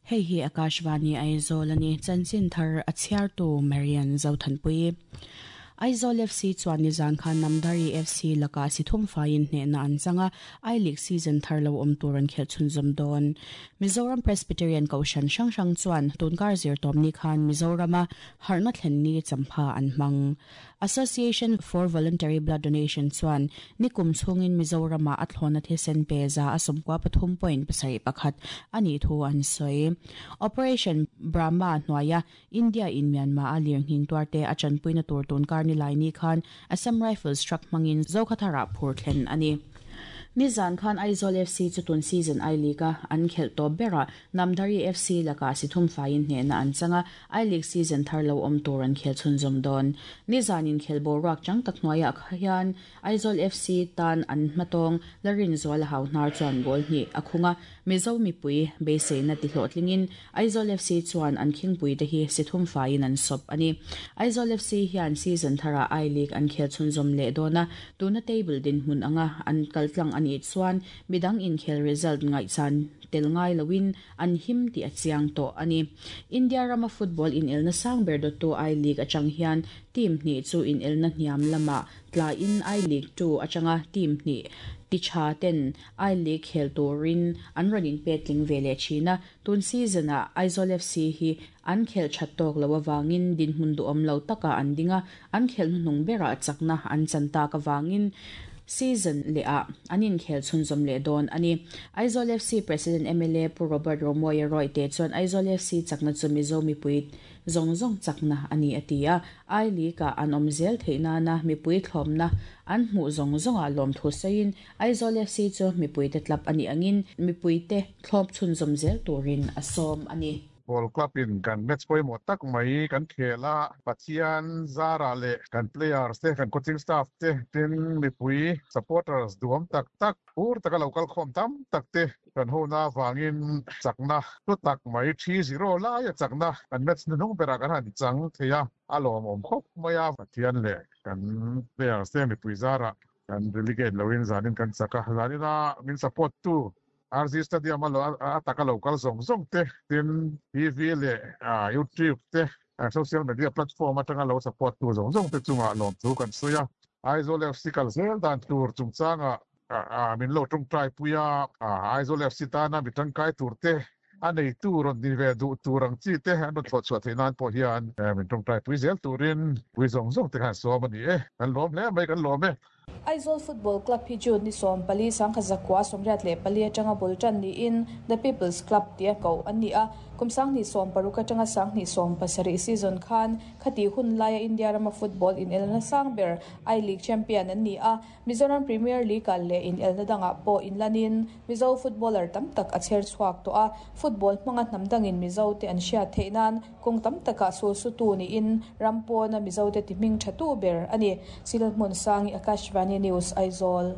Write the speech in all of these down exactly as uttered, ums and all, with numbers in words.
Hei hi Akashvani Aizawl ani chanchin thar a chhiartu Marian Zothanpui. Aizawl F C chuan nizan khan Namdhari F C laka sithum faiin hnehna an changa, I League season thar lo awm tur an khel chhunzawm dawn. Mizoram Presbyterian Kohhran hrang hrang chuan tunkar zirtawpni khan Mizorama harhna thlen ni champha an hmang. Association for Voluntary Blood Donation chuan nikum chhungin Mizorama a thlawna thisen pe za a sawmkua pathum point pasarih pakhat ani thu an sawi. Operation Brahma hnuaia India in Myanmar a lirnghing tuarte a chanpuina tur tunkar ni lai ni khan Assam Rifles truck hmangin Zokhathara phur thlen ani. Nizan khan Aizawl F C chu tun season I League a an khelh tawp bera Namdhari F C laka sithum faiin hnehna an changa, I League season thar lo awm tur an khel chhunzawm dawn. Nizan in khel boruak chang tak hnuaiah hian Aizawl F C tan an hmatawng Larin Zuala hau hnar chuan goal hnih a khunga, Mizo mipui beiseina ti hlawhtlingin Aizawl F C chuan an khingpui te hi sithum faiin an sawp ani. Aizawl F C hian season thara I League an khel chhunzawm leh dawna, tuna table din hmun anga an kaltlang ani chuan midang inkhel result ngai chan tel ngai loin an him ti a chiang to ani. India rama football in elna sang ber do to I League atang hian team hni chu in elna hniam lama tla in I League two atanga team hni ti tha ten I League khel turin an running petling vele thina. Tun season a Aizawl F C hi an khel that tawk lo awangin din hmun du om lo taka an dinga, an khel hnung bera chakna an chanta ka wangin season le a anin khel chhunzawm le dawn ani. Aizawl F C President M L A Pu Robert Romoya Roy te chuan Aizawl F C chakna chu Mizo mipui zong zong chakna ani atia, I League a an awm zel theihna na mipui thlawmna an hmuh zong zonga lawm thu sawiin Aizawl F C chu mipui te club ani angin mipui te thlawp chhunzawm zel turin a sawm ani. Ball club in kan match pawimawh tak mai kan khela, Pathian zara le kan players te, kan coaching staff te, tin mipui supporters duam tak tak ur taka local khom tam tak te kan hona wangin chakna tu tak mai three zero lai a chakna kan match nung bera kan han chang theia, a lawm awm khawp mai a. Pathian le kan players te, mipui zara kan relegate loin zanin kan chaka. Zanina min support tu R Z Stadium a lo a taka local zong zong te, tin T V le YouTube te, social media platform atanga lo support tu zong zong te chunga lawm thu kan suya. Aizawl F C kal zel dan tur chungchanga a min lo tung trai puya, Aizawl F C tana mi tangkai tur te, a nei tur on ni ve du turang chi te an ron thot chuah theinan pawh hian min tung trai pui zel turin pui zong zong te khan som ani e. Kan lawm hle mai, kan lawm e. Aizawl Football Club hi June ni sawm pali sangkhat zakua sawmriat leh pali atanga bul tan niin The People's Club tia ko an ni a. Kum sanghnih sawm paruk atanga sanghnih sawm pasarih season khan khati hun laia India rama football in elna sang ber I League champion an ni a. Mizoram Premier League le in elna danga pawh in lanin Mizo footballer tam tak a cher chhuak to a. Football hmanga hnam dangin Mizo te an hriat theihnan kawng tam taka sul su tu ni in rampawna Mizo te ti hming tha tu ber ani. Silhmun Sangi, Akashvani News, Aizawl.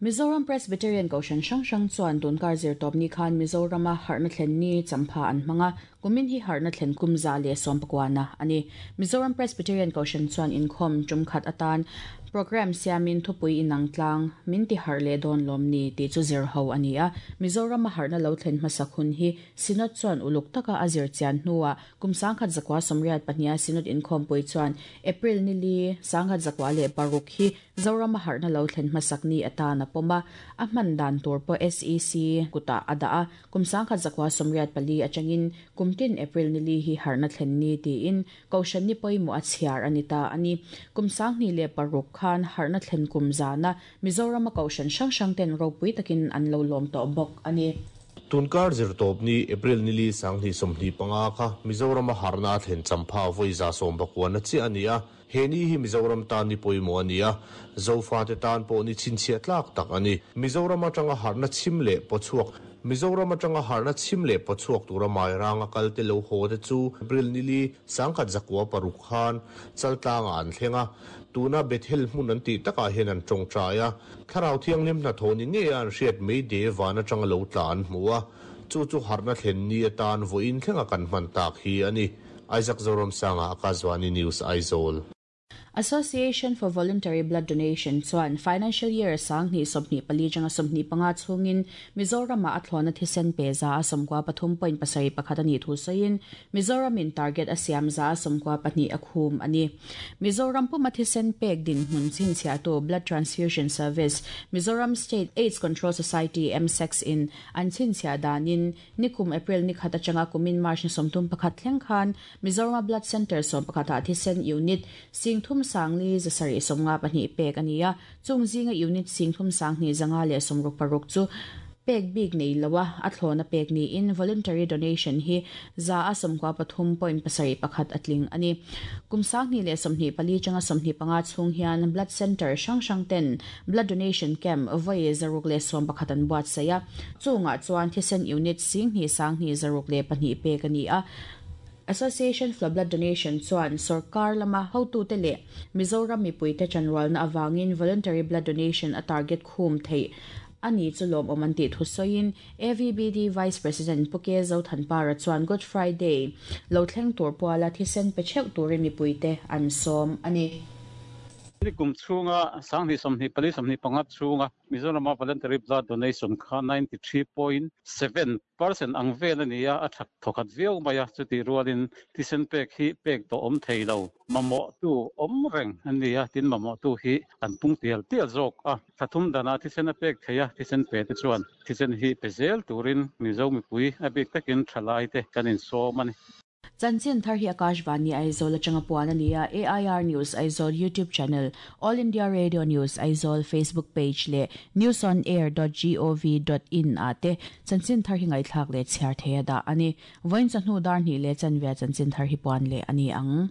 Mizoram Presbyterian Kohhran hrang hrang chuan tunkar zirtawp ni khan Mizorama harhna thlen ni champha an hmanga, kumin hi harhna thlen kum za leh sawm pakuana ani. Mizoram Presbyterian Kohhran chuan inkhawm tumkhat atan program siamin thupui inang tlang min ti har le dawn lawm ni ti chu zir ho ani a. Mizoram a harhna lo thlen hmasak hun hi Synod chuan uluk taka a zir chian hnuah kum sangkhat zakwa sawmriat pahnia Synod inkhawm pui chuan April ni li sangkhat zakwa leh paruk hi Zoram a harhna lo thlen hmasak ni atana pawma, a hman dan tur pawh S E C kuta ada a. Kum sangkhat zakwa sawmriat pali atangin kumtin April ni li hi harhna thlen ni tiin Kohhran ni pawimawh a chhiar ani ta ani. Kum sanghnih leh paruk khan harhna thlen kum zana Mizoram a Kohhran hrang hrang ten ropui takin an lo lawm tawh bawk ani. Tunkar zirtawp ni April nili sanghnih sawmhnih panga kha Mizoram a harhna thlen champha vawi za sawm pakuana chi ani a. He ni hi Mizoram tan ni pawimawh ani a, Zofa te tan pawh ni chhinchhiah tlak tak ani. Mizoram atanga harhna chhim leh pawchhuak Mizoram atanga harhna chhim leh pawchhuak tura mai ranga kal te lo haw te chu April nili sangkhat zakua paruk khan chaltlanga an thlenga, tuna Bethel hmun an ti takah hian an tawngtai a. Thlarau thianghlim hnathawh ni nge an hriat mai de van atanga lo tla an hmu a, chu chu harhna thlen ni atan vawiin thlenga kan hman tak hi ani. Isaac Zoram Sanga, Akashvani News, Aizawl. Association for Voluntary Blood Donation chuan financial year sang ni somni pali janga somni panga chungin Mizoram a athlona thisen pe za somkwa pathum point pasari pakhat ani thu soin Mizoram in target asiam za somkwa pahnih akhum ani Mizoram puma thisen pek din hmun chin chia to Blood Transfusion Service Mizoram State AIDS Control Society M S in an chin chia danin nikum April ni khata changa kumin March ni somtum pakhat thleng khan Mizoram Blood Center som pakhata thisen unit sing thum sangli zasari somnga pahnih pek ania chungzinga unit singthum sangni zanga le somruk paruk chu pek big nei lawa athlona pek ni in voluntary donation hi za asomkwa pathum point pasari pakhat atling ani kumsangni le somni pali changa somni panga chung hian blood center sang sang ten blood donation camp voi zaruk le som pakhatan buat saya chunga chuan thisen unit singni sangni zaruk le pahnih pek ani a Association for Blood Donation chuan sarkar lama hotu te le Mizoram mipui te chanwal na awangin voluntary blood donation a target khum thei ani chulom omanti thusoin A V B D Vice President Puke Zothanpara chuan Good Friday lo thleng tur puala thisen pe cheu turin mipui te an som ani Kum chunga sangni somni pali somni panga chunga Mizoram voluntary blood donation kha ninety-three point seven percent ang vel ania a thak thokhat viau maya chuti rualin thisen pek hi pek to om theilo mamo tu om reng ania tin mamo tu hi an pung tial tial zawk a thathum dana thisen a pek theia thisen pe te chuan thisen hi pezel turin Mizo mipui a bik takin thalai te kanin som ani Chanchin thar hi Akashvani Aizawl atanga puan ania A I R News Aizawl YouTube channel All India Radio News Aizawl Facebook page le news on air dot gov dot in ate chanchin thar hi ngai thlak le chhiar theia da ani voin chanu dar ni le chanvia chanchin thar hi puan le ani ang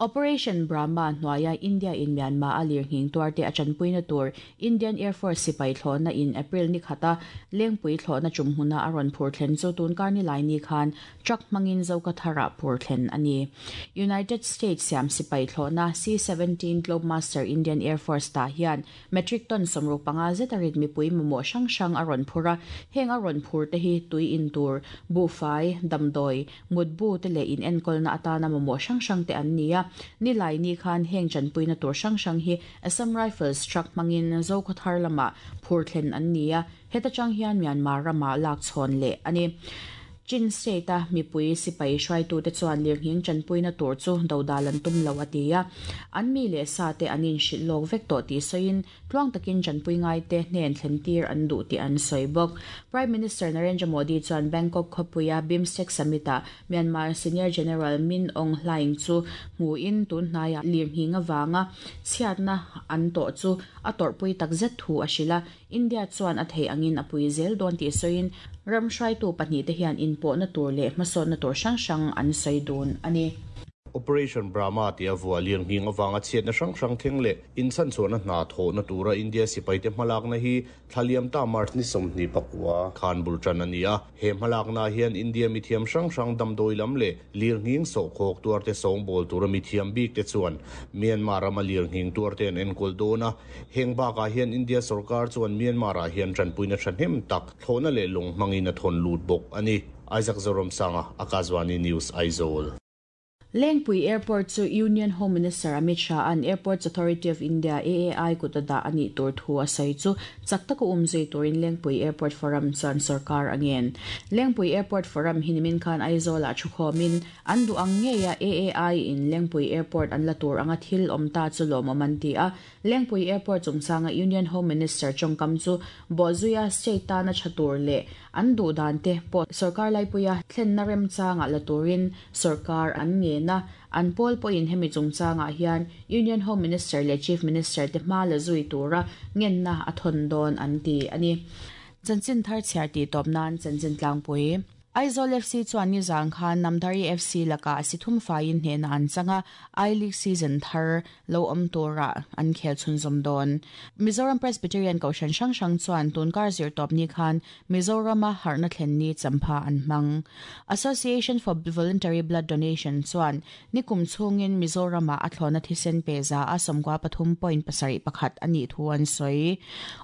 Operation Brahma hnuaia India in Myanmar alir hing tuarte achanpuina tur Indian Air Force sipai thlona in April ni khata lengpui thlona chumhuna aron phur thlen chu tun karni lai ni khan truck mangin zoka thara phur thlen ani United States siam sipai thlona C seventeen Globemaster Indian Air Force ta hian metric ton somru panga zetarit mi pui momo sang sang aron phura heng aron phur te hi tui in tur bufai damdoi mutbu te le in enkol na atana momo sang sang te an nia ni lai ni khan heng chanpuina tur sang sang hi Assam Rifles truck mangin Zokhothar lama phur thlen an nia heta chang hian Myanmar rama lak chhon le ani Chin State a mipui sipai hruai tu te chuan lirnghing chanpuina tur chu dodalan tum lo atia an mi le sa te anin hrilh lawk vek tawh tih sawiin tluang takin chanpui ngai te hnen thlen tir an duh tih an sawi bawk Prime Minister Narendra Modi chuan Bangkok khawpuia BIMSTEC Summit ah Myanmar Senior General Min Aung Hlaing chu hmuin tun hnaiah lirnghing awanga chhiatna an tawh chu a tawrhpui takzet thu a hrila India chuan a thei angin a pui zel dawn tih sawiin ram hruaitu pahnih te hian inpawh na tur leh hmasawn na tur hrang hrang an sawi dawn ani Operation Brahma tia vua lirnghing awanga chhiatna hrang hrang thleng leh inchan chuan a hna thawh na tura India sipai te hmalak na hi thlaliam ta March ni sawmhnih pakua khan bul tan ani a he hmalak na hian India mithiam hrang hrang damdawi lam leh lirnghing sawhkhawk tuar te sawngbawl tura mithiam bik te chuan Myanmar rama lirnghing tuar te an enkawl dawn a heng bakah hian India sarkar chuan Myanmar ah hian tanpuina thahnem tak thlawhna leh lawng hmangin a thawn lut bawk ani Isaac Zoram Sanga Akashvani News Aizawl Lengpui Airport chu Union Home Minister Amit Shah an Airports Authority of India A A I kutada ani tur thu a sawi chu chaktaka umzui turin Lengpui Airport Forum chuan sarkar angen Lengpui Airport Forum hinimin khan Aizawl ah thukhomin an du ang ngeia A A I in Lengpui Airport an la tur anga thil awm ta chu lawm an ti a Lengpui Airport chungchanga Union Home Minister chongkam chu bozuia state tana thatur le an du dan te pawh sarkar laipuia thlenna remchanga la turin sarkar an nge na an pawl pawhin hemi chungchangah hian Union Home Minister le Chief Minister te hma la zui tura ngenna a thawn dawn an ti ani chanchin thar chhiar ti tawp nan chanchin tlangpui Aizawl F C chuan ni zang khan Namdhari F C laka sithum faiin hnena an changa I League season thar lo awm tura an khel chhunzawm dawn Mizoram Presbyterian Kohhran hrang hrang chuan tunkar zir tawp ni khan Mizorama harhna thlen ni champha an hmang Association for Voluntary Blood Donation chuan nikum chhungin Mizorama a thlawna thisen pe za a sawmkua pathum point pasarih pakhat ani thu an sawi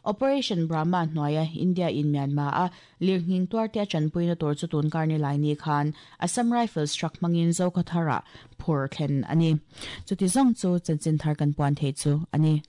Operation Brahma hnuaia India in Myanmar a lirnghing tuarte a chanpuina tur chu tun karni lai ni khan Assam Rifles truck mangin Zokhawthara phur thlen ani. Chuti zong chu chanchin thar kan puan thei chu ani.